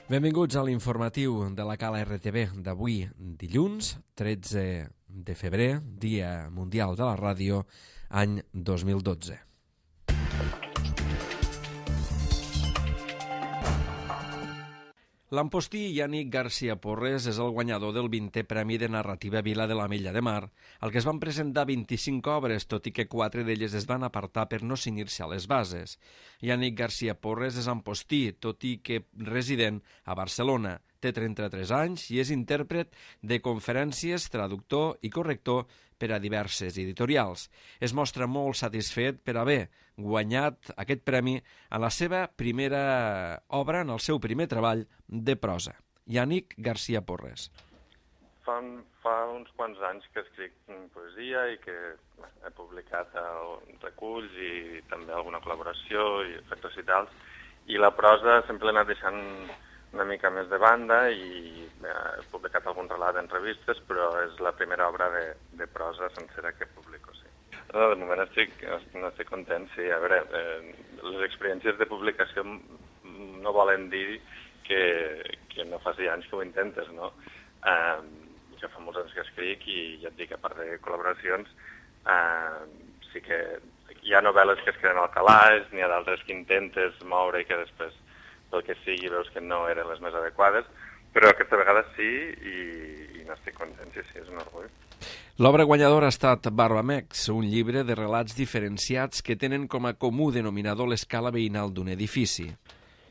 Benvinguts a l'informatiu de la Cala RTV d'avui, dilluns, 13 de febrer, Dia Mundial de la Ràdio, any 2012. L'ampostí Yannick García Porres és el guanyador del 20è Premi de Narrativa Vila de l'Ametlla de Mar, al que es van presentar 25 obres, tot i que 4 d'elles es van apartar per no cenyir-se a les bases. Yannick García Porres és ampostí, tot i que resident a Barcelona. Té 33 anys i és intèrpret de conferències, traductor i corrector per a diverses editorials. Es mostra molt satisfet per haver guanyat aquest premi a la seva primera obra, en el seu primer treball de prosa. Yannick García Porres. Fa uns quants anys que escric poesia i que he publicat reculls i també alguna col·laboració i efectes i tals, i la prosa sempre l'he anat deixant una mica més de banda i he publicat algun relat en revistes, però és la primera obra de prosa sencera que publico, sí. No, de moment estic content, sí. A veure, les experiències de publicació no volen dir que no faci anys que ho intentes, no? Ja fa molts anys que escric i ja et dic, a part de col·laboracions, sí que hi ha novel·les que es queden al calaix, n'hi ha d'altres que intentes moure i que després, pel que sigui, veus que no eren les més adequades, però aquesta vegada sí i n'estic content, sí, és un orgull. L'obra guanyadora ha estat Barbamex, un llibre de relats diferenciats que tenen com a comú denominador l'escala veïnal d'un edifici.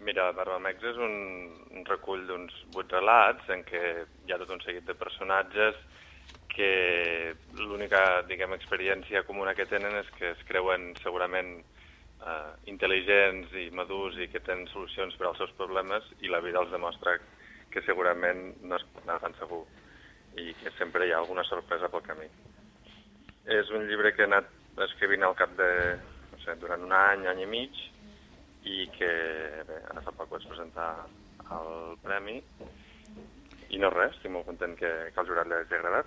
Mira, Barbamex és un recull d'uns 8 relats en què hi ha tot un seguit de personatges que l'única, diguem, experiència comuna que tenen és que es creuen segurament intel·ligents i madurs i que tenen solucions per als seus problemes, i la vida els demostra que segurament no es pot anar tan segur i que sempre hi ha alguna sorpresa pel camí. És un llibre que he anat escrivint al cap de, no sé, durant un any i mig, i que bé, ara fa poc vaig presentar el premi i no res, estic molt content que al jurat li hagi agradat.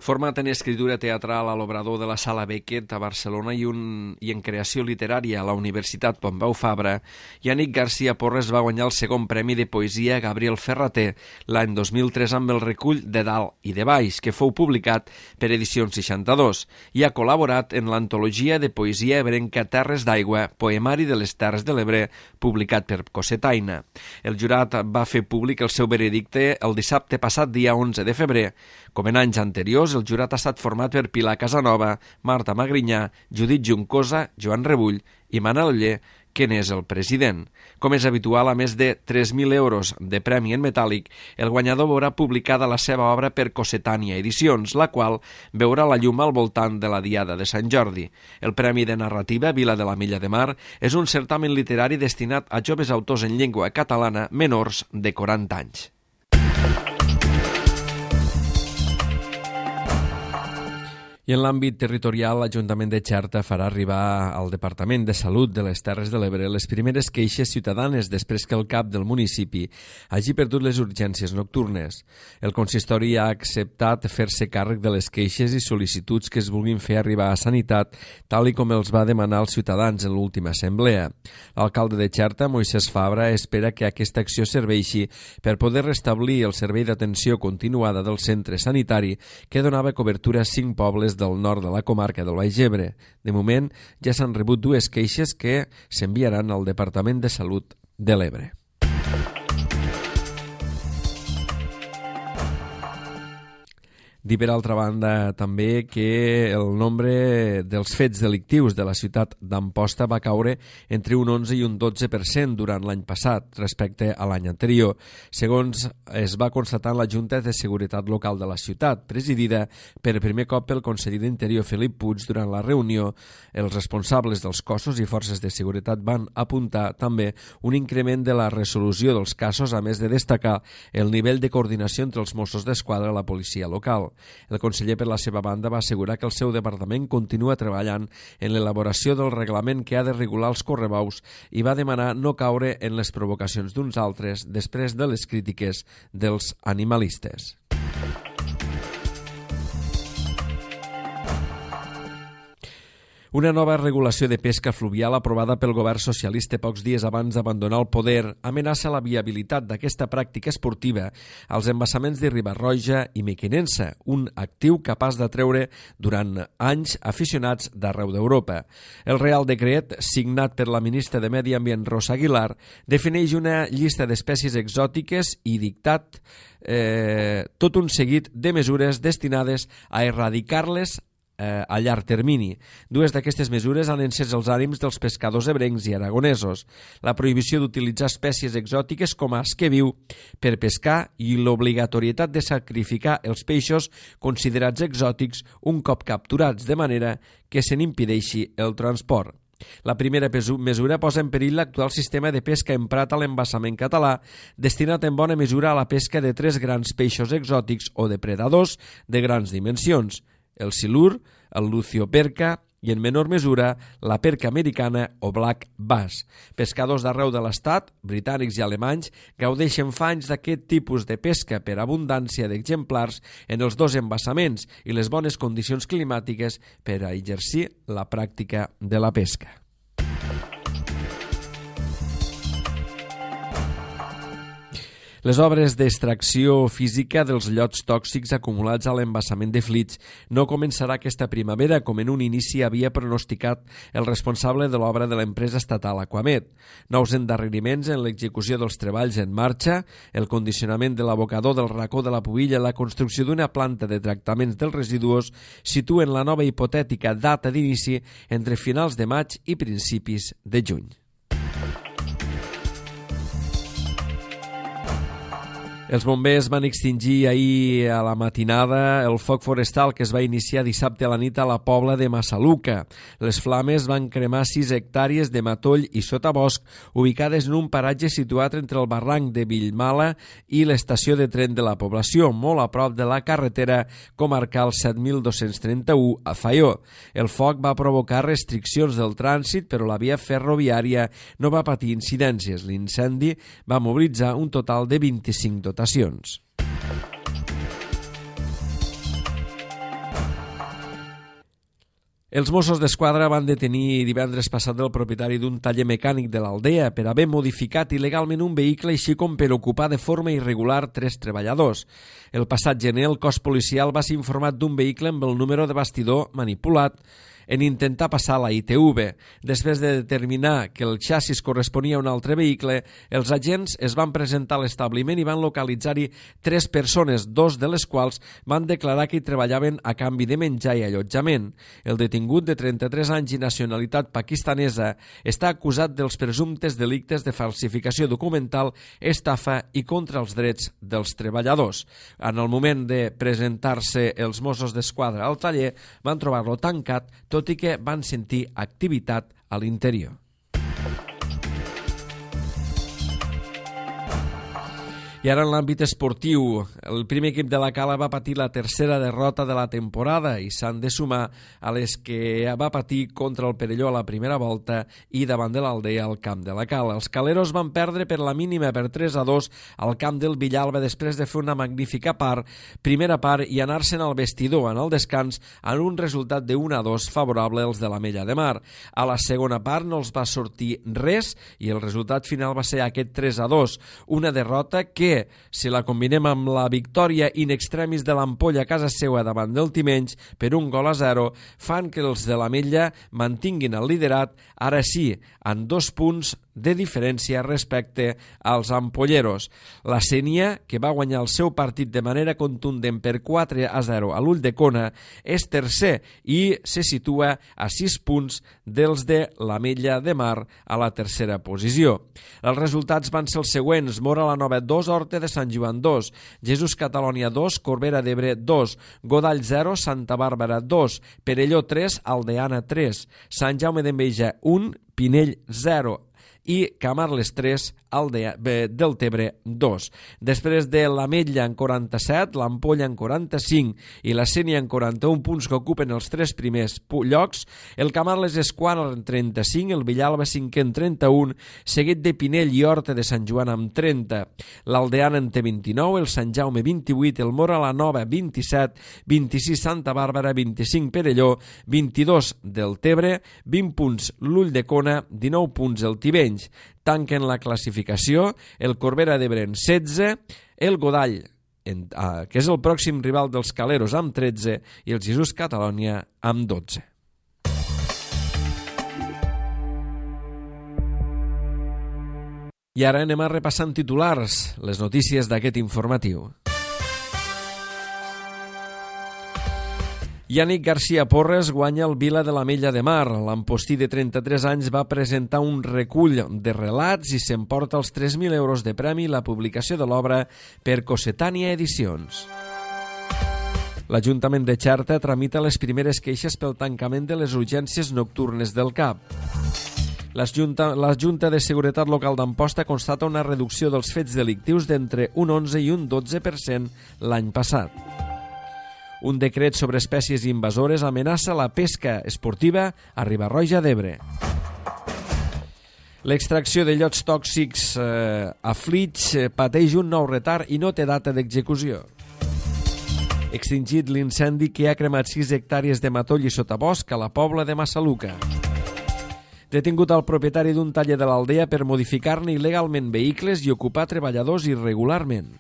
Format en escritura teatral a l'Obrador de la Sala Beckett a Barcelona i en creació literària a la Universitat Pompeu Fabra, Yannick García Porres va guanyar el segon premi de poesia Gabriel Ferrater l'any 2003 amb el recull de Dalt i de Baix, que fou publicat per Edicions 62, i ha col·laborat en l'antologia de poesia ebrenca Terres d'Aigua, poemari de les Terres de l'Ebre, publicat per Cosetaina. El jurat va fer públic el seu veredicte el dissabte passat, dia 11 de febrer. Com en anys anteriors, el jurat ha estat format per Pilar Casanova, Marta Magrinyà, Judit Juncosa, Joan Rebull i Manel Oller, que n'és el president. Com és habitual, a més de 3.000 euros de premi en metàl·lic, el guanyador veurà publicada la seva obra per Cossetània Edicions, la qual veurà la llum al voltant de la Diada de Sant Jordi. El Premi de Narrativa Vila de l'Ametlla de Mar és un certamen literari destinat a joves autors en llengua catalana menors de 40 anys. I en l'àmbit territorial, l'Ajuntament de Xerta farà arribar al Departament de Salut de les Terres de l'Ebre les primeres queixes ciutadanes després que el cap del municipi hagi perdut les urgències nocturnes. El consistori ha acceptat fer-se càrrec de les queixes i sol·licituds que es vulguin fer arribar a Sanitat, tal i com els va demanar als ciutadans en l'última assemblea. L'alcalde de Xerta, Moisès Fabra, espera que aquesta acció serveixi per poder restablir el servei d'atenció continuada del centre sanitari que donava cobertura a 5 pobles del nord de la comarca del Baix Ebre. De moment, ja s'han rebut 2 queixes que s'enviaran al Departament de Salut de l'Ebre. Dir, per altra banda, també que el nombre dels fets delictius de la ciutat d'Amposta va caure entre un 11 i un 12% durant l'any passat respecte a l'any anterior, segons es va constatar en la Junta de Seguretat Local de la ciutat, presidida per primer cop pel conseller d'Interior Felip Puig. Durant la reunió, els responsables dels cossos i forces de seguretat van apuntar també un increment de la resolució dels casos, a més de destacar el nivell de coordinació entre els Mossos d'Esquadra i la policia local. El conseller, per la seva banda, va assegurar que el seu departament continua treballant en l'elaboració del reglament que ha de regular els correbaus i va demanar no caure en les provocacions d'uns altres després de les crítiques dels animalistes. Una nova regulació de pesca fluvial aprovada pel govern socialista pocs dies abans d'abandonar el poder amenaça la viabilitat d'aquesta pràctica esportiva als embassaments de Riba-roja i Mequinensa, un actiu capaç d'atreure durant anys aficionats d'arreu d'Europa. El Real Decret, signat per la ministra de Medi Ambient Rosa Aguilar, defineix una llista d'espècies exòtiques i dictat tot un seguit de mesures destinades a erradicar-les a llarg termini. Dues d'aquestes mesures han encès els ànims dels pescadors ebrencs i aragonesos: la prohibició d'utilitzar espècies exòtiques com a esquer viu per pescar i l'obligatorietat de sacrificar els peixos considerats exòtics un cop capturats, de manera que se n'impedeixi el transport. La primera mesura posa en perill l'actual sistema de pesca emprat a l'embassament català, destinat en bona mesura a la pesca de tres grans peixos exòtics o depredadors de grans dimensions: el silur, el lucioperca i, en menor mesura, la perca americana o black bass. Pescadors d'arreu de l'estat, britànics i alemanys, gaudeixen fa anys d'aquest tipus de pesca per abundància d'exemplars en els dos embassaments i les bones condicions climàtiques per a exercir la pràctica de la pesca. Les obres d'extracció física dels llots tòxics acumulats a l'embassament de Flix no començarà aquesta primavera, com en un inici havia pronosticat el responsable de l'obra de l'empresa estatal Aquamet. Nous endarreriments en l'execució dels treballs en marxa, el condicionament de l'abocador del racó de la Pubilla i la construcció d'una planta de tractaments dels residus situen la nova hipotètica data d'inici entre finals de maig i principis de juny. Els bombers van extingir ahir a la matinada el foc forestal que es va iniciar dissabte a la nit a la Pobla de Massaluca. Les flames van cremar 6 hectàrees de matoll i sotabosc ubicades en un paratge situat entre el barranc de Villmala i l'estació de tren de la població, molt a prop de la carretera comarcal 7231 a Faió. El foc va provocar restriccions del trànsit, però la via ferroviària no va patir incidències. L'incendi va mobilitzar un total de 25 dotacions. Els Mossos d'Esquadra van detenir divendres passat el propietari d'un taller mecànic de l'Aldea per haver modificat il·legalment un vehicle, així com per ocupar de forma irregular 3 treballadors. El passat gener el cos policial va ser informat d'un vehicle amb el número de bastidor manipulat en intentar passar la ITV. Després de determinar que el xassis corresponia a un altre vehicle, els agents es van presentar a l'establiment i van localitzar-hi 3 persones, 2 de les quals van declarar que hi treballaven a canvi de menjar i allotjament. El detingut, de 33 anys i nacionalitat pakistanesa, està acusat dels presumptes delictes de falsificació documental, estafa i contra els drets dels treballadors. En el moment de presentar-se els Mossos d'Esquadra al taller, van trobar-lo tancat, tot i que van sentir activitat a l'interior. I ara en l'àmbit esportiu, el primer equip de la Cala va patir la tercera derrota de la temporada i s'han de sumar a les que va patir contra el Perelló a la primera volta i davant de l'Aldea al camp de la Cala. Els caleros van perdre per la mínima per 3-2 al camp del Villalba després de fer una magnífica primera part i anar-se'n al vestidor en el descans en un resultat de 1-2 favorable als de l'Ametlla de Mar. A la segona part no els va sortir res i el resultat final va ser aquest 3-2, una derrota que, si la combinem amb la victòria in extremis de l'Ampolla a casa seva davant del Timenys per 1-0, fan que els de l'Ametlla mantinguin el liderat, ara sí, en 2 punts de diferència respecte als ampolleros. La Sénia, que va guanyar el seu partit de manera contundent per 4-0 a l'Ulldecona, és tercer i se situa a 6 punts dels de l'Ametlla de Mar a la tercera posició. Els resultats van ser els següents: Móra la Nova 2, Horta de Sant Joan 2, Jesús Catalònia 2, Corbera d'Ebre 2, Godall 0, Santa Bàrbara 2, Perelló 3, Aldeana 3, Sant Jaume d'Enveja 1, Pinell 0, i Camarles 3, Deltebre 2. Després de l'Ametlla en 47, l'Ampolla en 45 i la Sénia en 41 punts que ocupen els 3 primers llocs, el Camarles és quart en 35, el Villalba 5è en 31, seguit de Pinell i Horta de Sant Joan amb 30, l'Aldeana en té 29, el Sant Jaume 28, el Mora la Nova 27, 26 Santa Bàrbara, 25 Perelló, 22 Deltebre, 20 punts l'Ulldecona, 19 punts el Tivenys. Tanquen la classificació el Corbera d'Ebre en 16, el Godall, que és el pròxim rival dels Caleros, amb 13, i el Jesús Catalònia amb 12. I ara anem a repassant titulars, les notícies d'aquest informatiu. Yannick García Porres guanya el Vila de l'Ametlla de Mar. L'ampostí de 33 anys va presentar un recull de relats i s'emporta els 3.000 euros de premi i la publicació de l'obra per Cossetània Edicions. L'Ajuntament de Xerta tramita les primeres queixes pel tancament de les urgències nocturnes del CAP. La Junta de Seguretat Local d'Amposta constata una reducció dels fets delictius d'entre un 11 i un 12% l'any passat. Un decret sobre espècies invasores amenaça la pesca esportiva a Riba-roja d'Ebre. L'extracció de llots tòxics a Flix pateix un nou retard i no té data d'execució. Extingit l'incendi que ha cremat 6 hectàrees de matoll i sotabosc a la Pobla de Massaluca. Detingut el propietari d'un taller de l'Aldea per modificar-ne il·legalment vehicles i ocupar treballadors irregularment.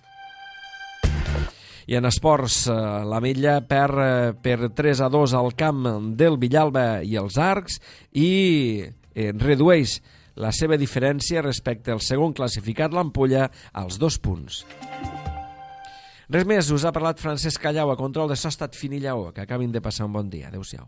I en esports, l'Ametlla perd per 3-2 al camp del Villalba i els Arcs i redueix la seva diferència respecte al segon classificat, l'Ampolla, als 2 punts. Res més, us ha parlat Francesc Callau, a control de so ha estat Fini Lleó. Que acabin de passar un bon dia. Adéu-siau.